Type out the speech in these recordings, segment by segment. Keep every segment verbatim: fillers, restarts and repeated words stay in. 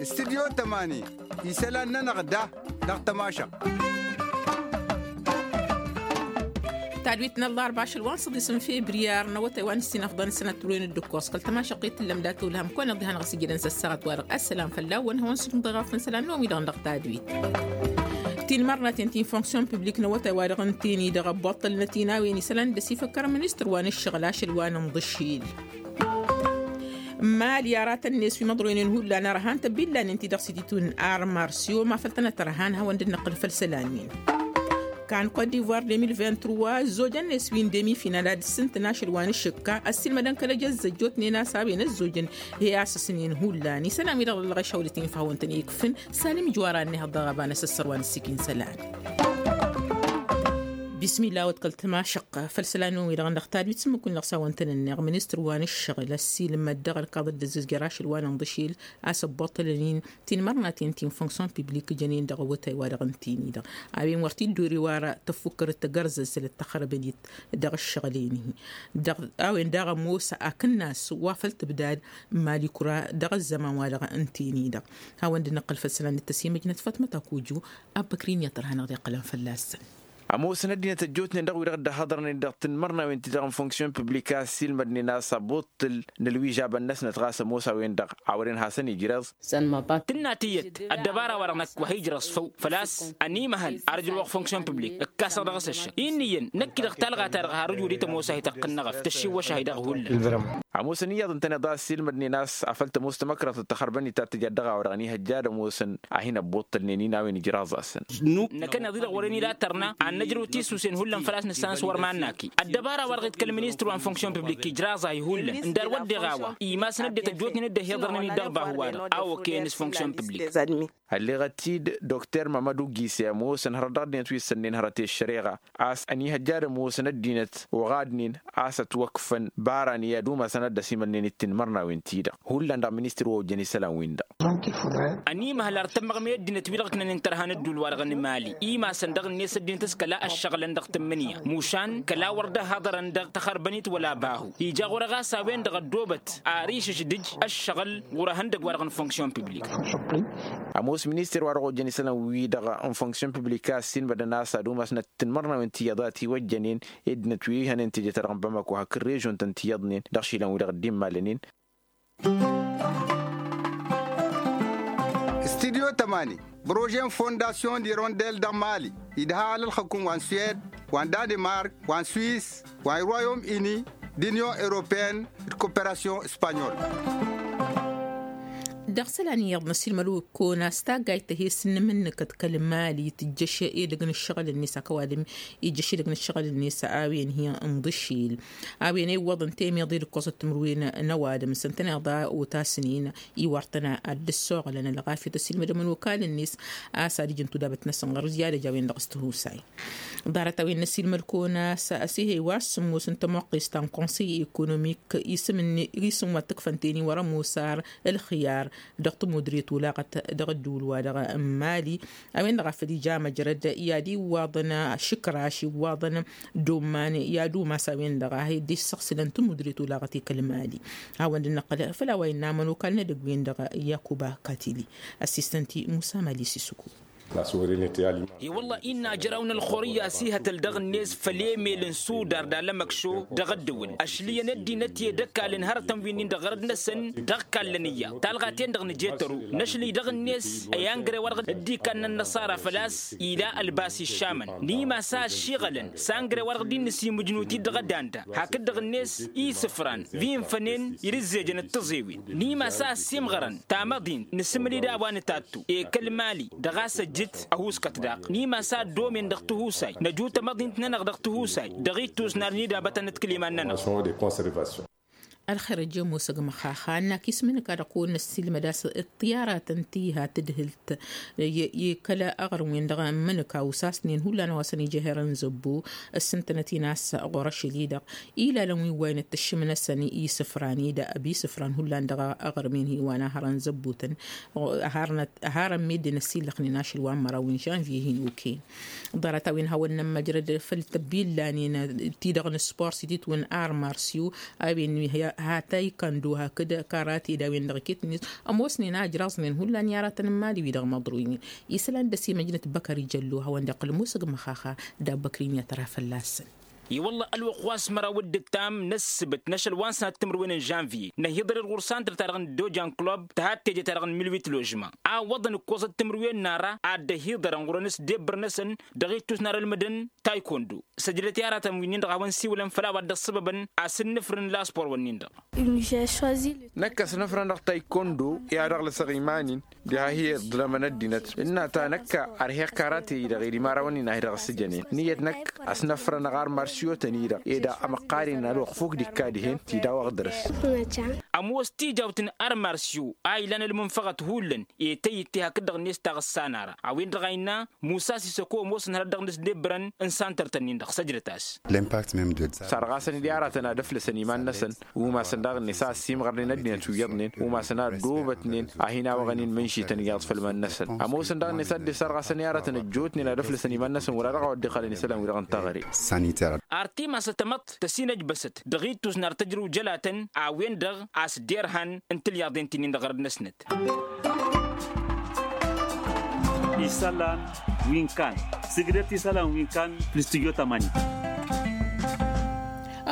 Studyo tămani isălan-nănăɣ da dăɣ-tămašăɣt. Tadwit n-ăllarba ašăl wa n-săḍis n-febriyar n-awătay wa n-ǝssin ăfḍăn sănăt turwen d-ǝkkoẓ kăl-tămašăɣt i-tǝllăm dat-ulhăm kăwăn-iḍhan ɣas ijidăn s-ăssaɣăt wa-dăɣ ăssălam fălla-wăn hawăn-sǝdǝm ḍeɣ afăn isălan n-omi-dăɣ n-dăɣ tadwit. Tinmărnaten ti n-fonksyon piblik n-awătay wa-dăɣ n-teni-dăɣ ăbboṭṭălnăt inawen isălan d-ăsifăkkăr ministăr wa n-ǝššăɣǝl ašăl wa n-inḍǝšil. Mali aratăn-net wi măḍroynen hullan ărhan tăbbillanen ti-dăɣ s-ititun armar s-iwom afăl tănăt-ărhan hawăn-dd-năqqǝl făll-isălan-win. Kan kot divoir de mil vint-trois ăzzojăn-net wi n-demi final ad-ǝssǝntǝn ašăl wa n-ašǝkka ăssiilmădăn kăl-ăj ăzzăjjotnen a-s a-wen ăzzojăn he-asǝsnen hullan isălan-wi-dăɣ dăɣ-lăɣăy šawlăt-in făw ǝntăn ikfǝn. Salim ijwara-net dăɣ-ăbanăs ăssărwa n-ǝssikǝn isălan. Bismillah wăt kăl-tămašăqqa făll-isălan-wi-dăɣ n-dăɣ tadwit s-ǝmmǝk-win-dăɣ s-a-wăn-tăn-ǝnneɣ ministăr wa n-ǝššăɣǝl ăssiilmăd dăɣ-ălkaḍăt d-ăzzǝzjăr ašăl wa n-inḍǝšil a-s ăbboṭṭălăn-in tinmărnaten ti n-fonksyon piblik jănen dăɣ-awătay wa-dăɣ n-teni-dăɣ a-wen wăr t-dd-ori wa tăffukkărăt tăgărzăzălăt tăxărbănet dăɣ-ǝššăɣǝl-en-hi. Dăɣ-a-wen daɣ ămoos akǝnnas wa făl tǝbdad n-mali kura dăɣ-ăzzăman wa-dăɣ n-teni-dăɣ. Hawăn-dd-năqqǝl făll-isălan d-tăsimăjnăt fatmăt akujju. Abbăkri n-iyyăḍ ărhanăɣ d-iqqălăn fălla-săn. Ămoosăn ăddinăt ăjjootnen dăɣ-wi-dăɣ dd-ăhhăḍărnen dăɣ-tinmărnawen ti-dăɣ n-fonksyon piblik a ăssiilmădnen a-s ăbbuṭṭǝl n-ălwižabăn-năsnăt ɣas ămoos a-wen-dăɣ a wăren hasăn-ijreẓ. Tǝnna tiyyăt ăddăbara-wa-dăɣ năkk wa hi-ijrăẓ făw făl-a-s ănimăhăl ar ǝjrăwăɣ fonksyon piblik ǝkkasăɣ dăɣ-s ăššăk. Inn'-iyyăn năkk-i-dăɣ talɣa-ta-dăɣ har ǝjud i-tămoos a hi-tăqqǝnnăɣăf tăššiwwăš a hi-dăɣ hullan. Ămoosăn iyyăḍ ǝntăneḍ a ăssiilmădnen a-s afăl tămoos tamăkrăḍt d-taxărbănit ta t-tǝja dăɣ-a-wa-dăɣ ănihăjja ad-ămoosăn a hin-ăbbuṭṭălnen-in a-wen ijraẓ-asăn. Năkk ănneḍ-i-dăɣ wărăn ila tărna ad-năjrăw tisusen hullan făl-a-s nǝssanăs wăr mannaki. Ăddăbara-wa-dăɣ iḍkăl ministăr wa n-fonksyon piblik ijraẓ-ahi hullan ǝndar wădden a-wa imasăn ăddinăt ăjjootnen dd-ăhiḍărnen-dd dăɣ-bahu-wa-dăɣ a okăyăn s-fonksyon piblik. Ălleɣăt-dd dokter mamădu gise ămoosăn hărăt dăɣ-ăddinăt wi ǝssănnen hărăt i-ăššăreɣa a-s ănihăjja ad-ămoosăn ăddinăt oɣadnen a-s ătwăkfăn bara n-i-ad-umasăn ad-dd-ăsimălnen d-tinmărnawen-ti-dăɣ hullan dăɣ-ministăr wa ojjăn isălan-win-dăɣ. Ănimăhăl ar tămmăɣme ăddinăt-wi-dăɣ ǝknănen tărha n-ădduul-wa-dăɣ n-imali imasăn dăɣ-net ăddinăt s-kăla ăššăɣǝlăn dăɣ-tǝmmǝnǝya mušan kăla wăr dd-ăhhăḍărăn dăɣ-taxărbănit wăla bahu. Ija ɣur-e ɣas a-wen-dăɣ ăddoobăt ar išǝšdǝj ăššăɣǝl ɣur-ehăndăgg-wa-dăɣ n-fonksyon piblik. Ămoos minister-wa-dăɣ ojjăn isălan-wi-dăɣ n-fonksyon piblik a ăssiilmădăn a-s ad-umasnăt tinmărnawen ti iyyăḍ a ătiwăjjănen i-ăddinăt wi hănen teje-ta-dăɣ n-bamako hakd režion-tăn ti iyyăḍnen dăɣ-išilan-wi-dăɣ dd-immalănen. Studyo tămani prože n-fondasyon d-irondel dăɣ-mali idha alălxăkum wa n-suwed wa n-danemark wa n-swis wa n-royom ini d-inyon europeyăn d-koperasyon spanyol. Dăɣ-isălan iyyăḍ n-ăsiilmăd-wǝkkonas taggayt tăhes n-imǝnnǝkăt kăl-mali tǝjjăš edăgg n-ǝššăɣǝl-net akăwadǝm ijjăš edăgg n-ǝššăɣǝl-net a-wen hi-inḍǝšil a-wen iwwăḍăn temeḍe d-ǝkkoẓăt timǝrwen n-ăwadǝm s-ǝntăneḍ a otasnen iwar-tăn ad-dd-ăssoɣălăn ălɣafyăt ăsiilmădăm n-okal-net a-s ad-ǝjǝn tudabăt-năsăn ɣur-ǝzjadăj a-wen-dăɣ s-tihusay. Ḍarăt-a-wen n-ăsiilmăd-kăwăn a-s ăsihăy wa s-sǝmmos n-tămoqqest ta n-konsăy ekonomik isǝm wa t-ǝkfăn teni wăr-ămoos ar ǝlxǝyar dăɣ-tămudre tolaɣăt dăɣ-ădduul-wa-dăɣ n-mali. A-wen-dăɣ a făl ija măjrăd i-ad-iwwaḍăn šǝkraš iwwaḍăn d-omman i-ad-umas a-wen-dăɣ a hi-dd-issăɣsǝlăn tămudre tolaɣăt i-kăl-mali. Hawăn-dd-năqqăl făll-a-wa innă amănokal n-edăgg-wen-dăɣ yakuba katili. Ăssistăn-t-i musa mali sisuku. I-wălla innă ajăraw n-ălxur i-asihătăl dăɣ-net făll-emel n-sudar d-alămăkšo dăɣ-ăddǝwǝl ăšlǝyăn ăddinăt i-ed ăkall n-hărătăn wi-nin dăɣ-ɣărăt-năsăn dăɣ-kallăn iyyăḍ talɣa-ten-dăɣ nǝje tăru năšlǝy dăɣ-net i-angre wa dăɣ-dd-ikanna ănnăṣara făl-a-s ila ălbas išamăn. N-imas a ăššiɣălăn s-angre wa dăɣ-dd-innăsimǝjnut-dd dăɣ-ădanda hakd-dăɣ-net isǝfran wi ǝnfănen irǝzzejăn d-tiẓewin. N-imas a ăssiimɣărăn tamăḍint nǝsǝmǝl-dd a-wa nǝtattu ekăl mali dăɣ-a-s ăjjǝt ăhuuskăt daɣ. N-imas a ăddomen dăɣ-tihusay năju tamăḍint-nănăɣ dăɣ-tihusay dăɣ-ittus n-ad-nidabătăn d-kăl-iman-nănăɣ. Ălxer ăjjămosăg măxaxa ănn-ak ismǝnǝka dăɣ-kăwăn-năssilmăd a-s ǝṭṭiyaratăn ti ha tǝdhǝlt i-kăla aɣrǝm-wen-dăɣ n-imǝnǝka usasnen hullan a-wa săn-ija herăn zăbbo. Ǝssǝntănăt-in a-s ɣur-ašăl-i-dăɣ ilalăn wi ǝwwayăn d-tǝššǝm-năsăn isǝfran-i-dăɣ ăbisǝfran hullan dăɣ-aɣrǝm-en hi-wa n-ahărăn zăbbo-tăn. Harăn meddǝn ăsillăxnen ašăl wa n-măraw n-žănvye hin-oken. Ḍarăt-a-wen hawăn-nămmăjrăd făll-tăbbillanen ti-dăɣ n-spor s-ititwǝn armarsyo a-wen ha taykando hakd karate d-a-wen-dăɣ iket-net. Ămoosnen a ǝjraẓnen hullan i-aratăn n-imali-wi-dăɣ măḍroynen isălan d-ăsimăjnăt băkări jăllo hawăn-dd-iqqǝl ămoosăg măxaxa d-abbăkri n-i-ad-tăra fălla-săn. I-wălla ălwăqq wa s-măraw d-ǝttam n-ăssǝbǝt n-ašăl wa n-sănat timǝrwen n-žănvye năhiḍăr-dd ɣur-santăr-ta-dăɣ n-dojan club tăhat teje-ta-dăɣ n-milwit ložma a ǝwwăḍăn ǝkkoẓăt timǝrwen n-ara ad-dd-ăhiḍărăn ɣur-enăs d-ebbăr-năsăn dăɣ-ittus n-arălmădăn taykondo. Săjdăt i-aratăn wi-nin-dăɣ a hawăn-siwǝlăn făll-a-wa dd-ăṣṣăbăbăn a-s ǝnnǝfrǝn laspor-wǝnnin-dăɣ. Năkk ăsnăfrăn dăɣ-taykondo i-ad-ăɣlăsăɣ iman-in. Diha hi-iḍlămăn ăddinăt ǝnna ta năkk ărheɣ karate-i-dăɣ ed imărawăn-in a hi-dăɣ-ăssǝjănen ǝnniyăt năkk ăsnăfrănăɣ armarsyo-tăn-i-dăɣ ed amăqqar-in ălwăqq fok d-ikka dihen. Ti daw-aɣ dăr-s. Ămoos tijawt n-armarsyo a ilan ălmunfăɣăt hullan i-tăyyǝtte hakd-dăɣ-net taɣǝssa n-ara a-wen-dăɣ a innă musa sisăko ămoosăn hărăt dăɣ-nǝsdebbărăn n-santăr-tăn-in-dăɣ săjdăt-as. Săr ɣasăn-dd i-aratăn ad-ăflăsăn iman-năsăn umasăn daɣ-net a ăssiimɣărnen ăddinăt wi iyyăḍnen umasăn a ăddoobătnen a hin-awăɣăn-in mǝnšităn iyyăḍ făll-iman-năsăn. Ămoosăn daɣ-net a dd-săr ɣasăn i-aratăn ăjjootnen ad-ăflăsăn iman-năsăn wăr-ad-dăɣ a wa dd-iqqălăn isălan-wi-dăɣ n-taɣre. Ar timasăt ămăḍt tăsinăjbăsăt dăɣ-ittus n-ar tăjrǝw jălatăn a-wen-dăɣ a-s derhan n-tilyaḍen ti-nin-dăɣ ɣărăd-năsnăt. Isălan wi n-kan sǝgdăt isălan wi n-kan. N-studyo tămani.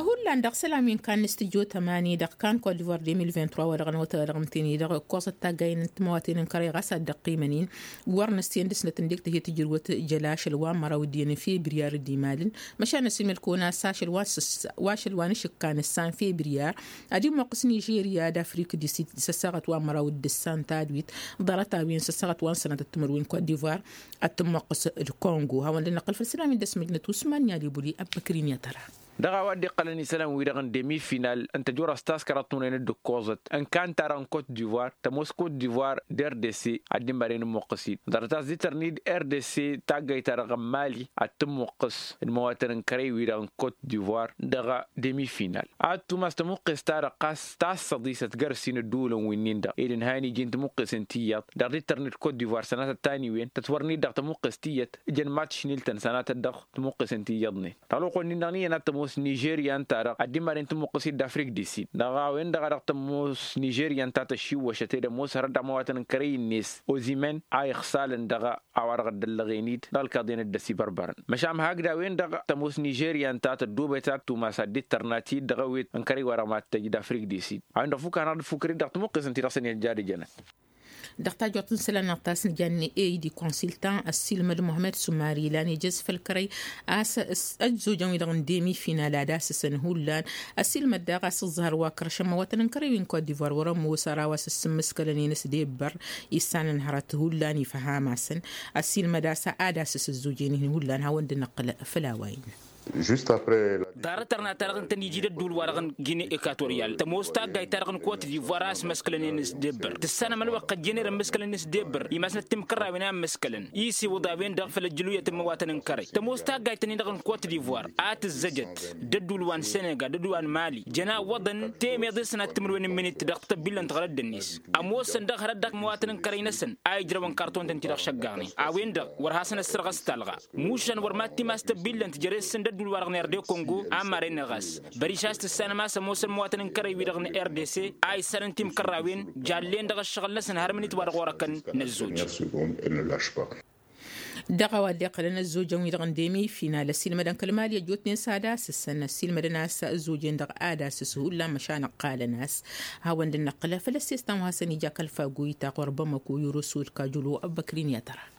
Hullan dăɣ-isălan wi n-kan n-studyo tămani dăɣ-kan kot divoir deux mille vingt-trois wa dăɣ-năwăt dăɣ-mǝteni dăɣ-ǝkkoẓăt taggayen n-timăwaten n-kăre ɣas ad-dd-ăqqimăn-in. Wăr năsiyăn dăɣ-snăt ǝndek tǝhe tǝjrǝwăt jăla ašăl wa n-măraw d-iyyăn n-febriyar d-imalǝn. Măšan ăsimăl kăwăn-as ašăl wa n-sǝssa wa ašăl wa n-ašǝkka n-ǝssan febriyar ad-imuqqǝs nižerya d-afrik di sid s-ăssaɣăt wa n-măraw d-ǝssan tadwit. Ḍarăt-a-wen s-ăssaɣăt wa n-sănatăt timǝrwen kot divoir ad-tǝmmuqqǝs d-kongo hawăn-dd-năqqǝl făll-isălan wi dd-ăsmăjnăt usman n-i-alibuli ăbbăkrin i-ad-tăra. Dăɣ-a-wa dd-iqqălăn isălan-wi-dăɣ n-demi-final n-tăjorăst ta s-kăraḍt n-unăyăn dd-ǝkkoẓăt n-kan-ta-dăɣ n-kot divoir tămoos kot divoir d-rdc. Ad-dd-immaren ǝmmuqqǝs-dd ḍarăt a-s dd-tărnid rdc taggayt-ta-dăɣ n-mali ad-tǝmmuqqǝs d-imăwatăn n-kărăy-wi-dăɣ n-kot divoir dăɣ-demi-final. Ad-tumas tămuqqes-ta-dăɣ ɣas tassăḍisăt găr-s-in ădduulăn wi-nin-dăɣ ed ǝnhayăn iji n-tămuqqesen ti iyyăḍ. Dăɣ-dd-tărnid kot divoir sănatăt taniwen tătwărnid dăɣ-tămuqqes ti iyyăt ǝjăn matš n-iltăn sănatăt dăɣ-tămuqqesen ti iyyăḍnen. Dăɣ-lăwăqq-wen-nin-dăɣ n-iyyăn ad-tămoos nižerya ǝnta-dăɣ ad-dd-immaren tămuqqes-dd afrik di-sin dăɣ-a-wen-dăɣ a dăɣ-tămoos nižerya ǝnta tăšiwwăšăt ed ămoos hărăt d-amăwatăn n-kărăy-net ozimăn a ixsalăn dăɣ-a-wa-dăɣ dd-ăllăɣen-dd dăɣ-ălkaḍen dd-ăsibărbărăn. Măšan hakd a-wen-dăɣ tămoos nižerya ǝnta tăddoobăyăt ad-tumas ad-dd-tărna ti-dd dăɣ-ewet n-kărăy-wa-dăɣ mad-tăj d-afrik di-sin. A-wen-dăɣ fuk a hanăɣ-dd-fukăr-dd dăɣ-tămuqqesăn ti-dăɣ săn i-ăjjadăjănăt. Dăɣ-tajjuṭ n-isălan-năɣ ta s-nǝjanne ed ikonsiltan ăssiilmăd muhămmăd sumari ilan ijăz făll-kărăy a-s ăzzojăn-wi-dăɣ n-demi-final ad-asǝsăn hullan. Ăssiilmăd daɣ a-s ǝẓẓăhăr wa kărăš ămmăwătăn n-kărăy-wi n-kot divoir wăr-ămoos ăraw a-s ǝssǝmmǝskălăn-in s-debbăr issanăn hărăt hullan ifăham-asăn. Ăssiilmăd a-s ad-asǝs ăzzojen-in hullan hawăn-dd-năqqǝl făll-a-wa innă. Ḍarăt ărna-ta-dăɣ ǝntăn iji d-ădduul-wa-dăɣ n-gine ekatoryal tămoos taggayt-ta-dăɣ n-kot divoir a ăsmăskălăn-in s-debbăr tǝssanăm ălwăqq ăjjeen ere ămmǝskălăn-in s-debbăr imasnăt timkărrawen a ămmǝskălăn isiwǝḍ a-wen-dăɣ făll-ăjjǝluyăt n-imăwatăn n-kărăy tămoos taggayt-tăn-in-dăɣ n-kot divoir a tǝzzăjăt d-ădduul wa n-senegal d-ădduul wa n-mali jăn awwăḍăn temeḍe sănat timǝrwen n-imǝnit dăɣ-tăbbillăn tăɣrădd-net ămoosăn dăɣ-hărăt dăɣ-imăwatăn n-kărăy-năsăn a ijrăwăn karton-tăn-ti-dăɣ šăggaɣnen a-wen-dăɣ wăr hasăn-ăssărɣăs talɣa. Mušan wăr mad-timas tăbbillănt jere-săn d-ădduul-wa-dăɣ n-erde kongo a maren-ne ɣas băriš a-s tǝssanăm a-s ămoosăn imăwatăn n-kărăy-wi-dăɣ n-rdc a issanăn timkărrawen jallen dăɣ-ăššăɣǝl-năsăn har imǝnit wa dăɣ-orăkăn n-ăzzoj. Dăɣ-a-wa dd-iqqălăn ăzzojăn-wi-dăɣ n-demi-final ăssiilmădăn kăl-mali ăjjootnen s-ad-asǝsăn ăssiilmădăn a-s ăzzojen-dăɣ ad-asǝs hullan măšan ǝqqalăn-as. Hawăn-dd-năqqǝl făll-ăssestan wa hasăn-ija kăl-fagoyta ɣur-bamăko yorosod kajulo ăbbăkrin i-ad-tăra.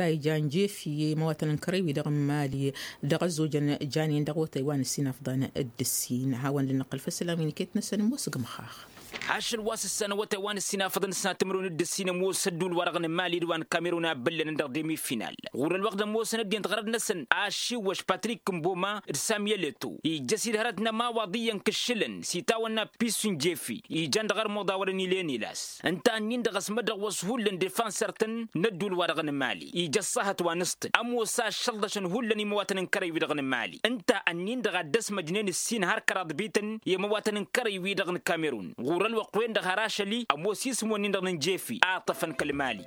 ta ijan jefi i-măwatăn n-kărăy-wi-dăɣ n-mali dăɣ-ăzzojăn janen dăɣ-wătay wa n-ǝssin afḍăn d-ǝssin. Hawăn-dd-năqqǝl făll-isălan wi n-iket-năsăn ămoos gmăxax. Ašăl wa s-ǝssanăn wătay wa n-ǝssin afăḍăn d-sănat timǝrwen d-ǝssin ămoos ădduul-wa-dăɣ n-mali d-wa n-kamerun a ǝbbǝllănăn dăɣ-demi-final ɣur-ălwăqq d-ămoosăn ăddinăt ɣărăt-năsăn ašiwwăš patrik n-boma d-samyăleto ijjăs-dd hărăt n-ămawaḍ iyyăn kǝššǝlăn s-itawănna pisun jefi ijan dăɣ-ărmuḍ a wărăn ilen ilas. Ǝnta ǝnnin-dăɣ ăsmădăɣ wa s-hullan defansăr-tăn n-ădduul-wa-dăɣ n-mali ija ăṣṣahăt wa n-ǝṣṭǝl ămoos a ăššălḍăšăn hullan i-imăwatăn n-kărăy-wi-dăɣ n-mali. Ǝnta ǝnnin-dăɣ a dd-ăsmăjnen ǝssin har kăraḍ bităn i-imăwatăn n-kărăy-wi-dăɣ n-kamerun ɣur-ălwăqq-wen-dăɣ har ašăl-i ămoos isǝm-wǝnnin-dăɣ n-jefi a ǝṭṭăfăn kăl-mali.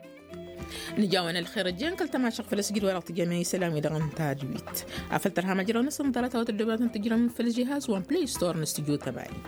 Nǝjawăn ălxer ăjjeen kăl-tamašăɣt făll-asǝjǝd-wa-dăɣ tǝjjămăn isălan-wi-dăɣ n-tadwit afăl tărha măjrăw-năsăn ḍarăt a-wa tăddobnatăn tǝjrăm făll-žihaz wa n-play store n-studio tămani.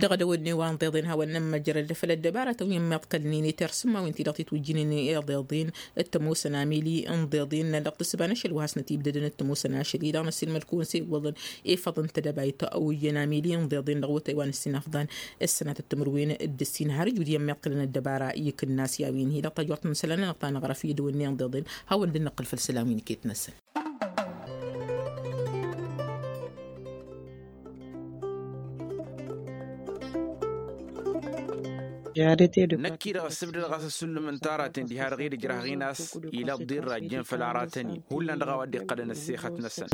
Dăɣ-edăwădne wa n-ḍeḍen hawăn-nămmăjrăd făll-ăddăbara tăwin meḍkălnen i-tersǝmma wi n-ti-dăɣ titwǝjjǝnen i-ḍeḍen d-tămoosăn amili n-ḍeḍen dăɣ-tǝssǝba n-ašăl wa hasnăt-ibdădăn d-tămoosăn ašăl-i-dăɣ năsilmăd-kăwăn s-e-iwwăḍăn efăḍ n-tedăbayt a oyyăn amili n-ḍeḍen dăɣ-wătay wa n-ǝssin afḍăn ǝssănatăt timǝrwen d-ǝssin har ǝjud iyyăn meḍkălăn ăddăbara ikǝnnas i-a-wen hi-dăɣ tajwăḍt n-isălan-nănăɣ ta năɣrăf i-dăwănne n-ḍeḍen. Hawăn-dd-năqqǝl făll-isălan wi n-iket-năsăn. Năkk-i-dăɣ ăssǝbdăd ɣas ăssullǝm n-taraten diha-dăɣ i-dd-ǝjrăhăɣ-in a-s ila ăḍḍirra ăjjeen făll-aratăn-in hullan dăɣ-a-wa dd-iqqălăn ăssexăt-năsăn.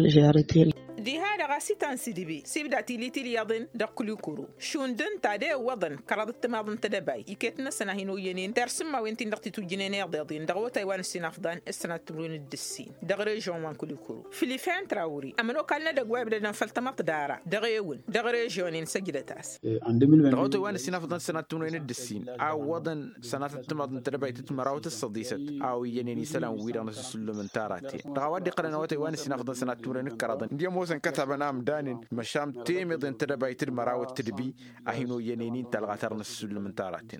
Diha-dăɣ a-s itan s-idǝbi s-ibda tili tilyaḍen dăɣ-kulikuru šund ǝnta ad-e-ǝwwăḍăn kăraḍ ǝttǝmaḍ n-tedăbayt iket-năsăn a hin-oyyănen tersǝmma wi n-tin-dăɣ titwǝjjǝnen i-iḍeḍen dăɣ-awătay wa n-ǝssin afḍan s-sănat timǝrwen d-ǝssin dăɣ-režion wa n-kulikuru filifen trawri ămănokal n-edăgg wa ibdădăn făll-tamăḍt dara dăɣ-ewǝl dăɣ-režion-in săjdăt-as. Dăɣ-awătay wa n-ǝssin afḍăn s-sănat timǝrwen d-ǝssin a ǝwwăḍăn sănatăt timaḍ n-tedăbayt d-măraw d-tǝssăḍisăt a oyyănen isălan-wi-dăɣ n-asǝsǝllǝm n-taraten dăɣ-a-wa dd-iqqălăn awătay wa n-ǝssin afḍăn sănat timǝrwen d-kăraḍăn d-i ămoosăn kătabăn amdanen măšan temeḍe n-tedăbayt d-măraw d-tǝdbi a hin-oyyănen-in talɣa-ta-dăɣ n-asǝsǝllǝm n-taraten.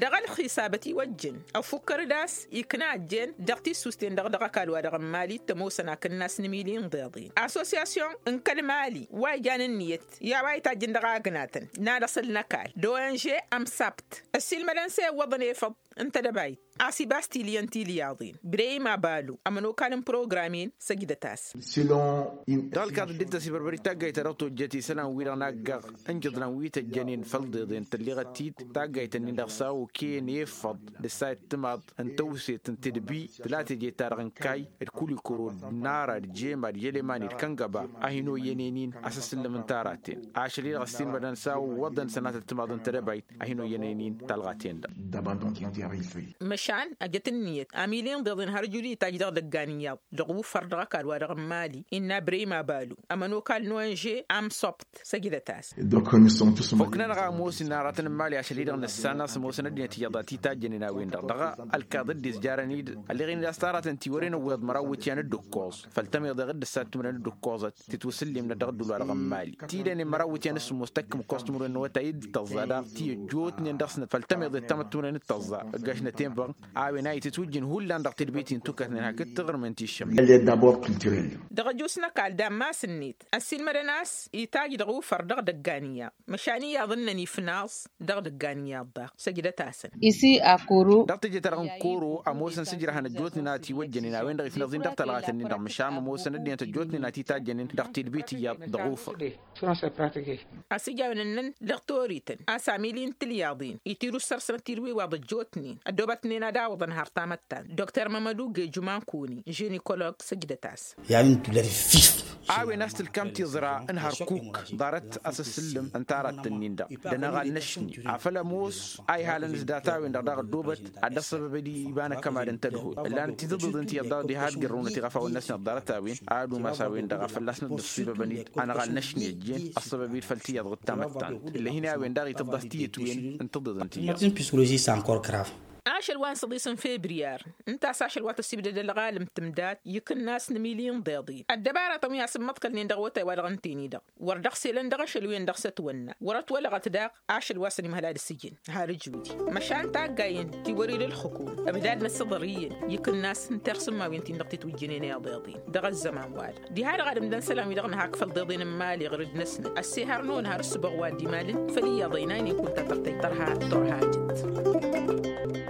Dăɣ-ălxisabăt iwăjjăn ăfukkăr d-a-s ikna ăjjeen dăɣ-tissusten-dăɣ dăɣ-ăkall-wa-dăɣ n-mali t-ămoosăn akǝnnas n-imili n-iḍeḍen asosiyasyon n-kăl-mali wa ijan ǝnniyăt i-a-wa itajjăn dăɣ-agnatăn n-ad-ăṣǝl n-ăkall d-onže ămsabt ăssiilmădăn s-e-iwwăḍăn efăḍ n-tedăbayt a-s ibas tilǝyăn tilǝyaḍen breyim abalu ămănokal n-program-in săjdăt-as. Dăɣ-ălkaḍ dd-tăsibărbăr i-taggayt ta dăɣ-tojjăt isălan-wi-dăɣ n-aggaɣ ǝnjǝḍlan wi tăjjănen făll-iḍeḍen tălleɣăt-dd taggayt-ǝnnin-dăɣ s-a okăyăn efăḍ d-ăssayăt timaḍ n-tăwset n-tedbi tǝla teje-ta-dăɣ n-kayy d-kulikoro d-nara d-jema d-yălemani d-kăngăba a hin-oyyănen-in asǝssǝllǝm n-taraten ašăl-i-dăɣ ăssiilmădăn s-a ǝwwăḍăn sănatăt timaḍ n-tedăbayt a hin-oyyănen-in talɣa-ten-dăɣ. Măšan ăjăt ǝnniyăt amili n-iḍeḍen har ǝjud itaj dăɣ-idăggan iyyăḍ dăɣ-ufăr dăɣ-ăkall-wa-dăɣ n-mali innă breyim abalu ămănokal n-onže amsobt săjdăt-as. Fokk-nănăɣ a ămoos inaratăn n-mali ašăl-i-dăɣ nǝssan a-s ămoosăn ăddinăt iyyăḍ a t-itajjănen a-wen-dăɣ dăɣ-ălkaḍ dd-izjarăn-dd ălleɣ-in-dd a-s taratăn tiwăren ăwweḍ măraw iwǝtyan d-ǝkkoẓ făll-tămeḍe ɣǝdd ǝssan timǝrwen d-ǝkkoẓăt titwǝsǝllimnăt dăɣ-ǝddul-wa-dăɣ n-mali tidănen măraw iwǝtyan d-sǝmmos tăkk imǝkkoẓ timǝrwen n-awătay d-tăẓẓa daɣ ti ăjjootnen dăɣ-snăt făll-tămeḍe d-tamăttunen d-tăẓẓa ăggaš n-ătenbăɣ a-wen a itǝtwǝjjǝn hullan dăɣ-tedbit-in tukătnen hakd tiɣǝrmen ti ǝššămnen. Dăɣ-ăjos n-ăkall d-ammas-net ăssiilmădăn a-s itaj dăɣ-ufăr dăɣ-idăggan iyyăḍ măšan iyyăḍ ǝnnăn ifnaẓ dăɣ-idăggan iyyăḍ daɣ săjdăt-asăn. Dăɣ-teje-ta-dăɣ n-koro ămoosăn s-ǝjrăhăn ăjjootnen a ătiwăjjănen a-wen-dăɣ ifnaẓ-in dăɣ-talɣat-nin-dăɣ măšan ămoosăn ăddinăt ăjjootnen a t-itajjănen dăɣ-tedbit iyyăḍ dăɣ-ufăr. A-s ija a-wen ǝnnăn dăɣ-torităn a-s amili n-tilyaḍin itirǝssărsănăt tidǝw iwaḍ ăjjootnen ăddoobătnen ad-awǝḍăn har tamăttant dr mămădu geju mankoni žinikolog săjdăt-as. I-a-wen tulări fif. A-wen a-s tǝlkam tiẓra n-hărkuk ḍarăt asǝssǝllǝm n-taraḍt-ǝnnin-dăɣ d-anăɣal n-ašni afăl ămoos a ihalăn s-data-wen-dăɣ daɣ ăddoobăt ad-dd-ăṣṣăbăbăd iba n-akămad n-tadhut ǝllanăt titǝḍiḍen tiyyăḍ daɣ diha d-gărrăwnăt iɣăfawăn-năsnăt ḍarăt-a-wen. Ad-umas a-wen-dăɣ a fălla-s năddăṣṣibăbănid anăɣal n-ašni ăjjeen ăṣṣăbăbid făll-tiyyăḍ d-tamăttant. Ǝllăh-in a-wen-dăɣ itǝḍḍăh tiyyăt-wen n-tǝḍiḍen tiyyăḍ. Ašăl wa n-săḍis n-febriyar ǝnta a-s ašăl wa tăssibdăd ălɣalăm tǝmdat ikǝnnas n-emiliyăn ḍeḍin ăddăbaratăn wi asǝmmăḍkălnen dăɣ-awătay-wa-dăɣ ǝnta-en-i-dăɣ wăr dăɣ-selăn dăɣ-ašăl-wen-dăɣ s-ătwănna wăr-ătwălăɣăt daɣ. Ašăl wa s-ănimhăl ad-ǝssǝjǝn har ǝjudi măšan taggayen ti wăr-ila ǝlxǝkum ăbdadnăt s-iḍăr iyyăn ikǝnnas n-tirsǝmmawen-tin-dăɣ titwǝjjǝnen i-iḍeḍen dăɣ-ăzzăman-wa-dăɣ. Diha-dăɣ ad-ǝmdăn isălan-wi-dăɣ nǝhak făll-iḍeḍen n-imali ɣur-dd-năsnăt ăssihărnăwăn har ǝssǝboɣ wa dd-imalăn făll-iyyăḍ ăynaynen kunta tărtăy tărha turhajăt.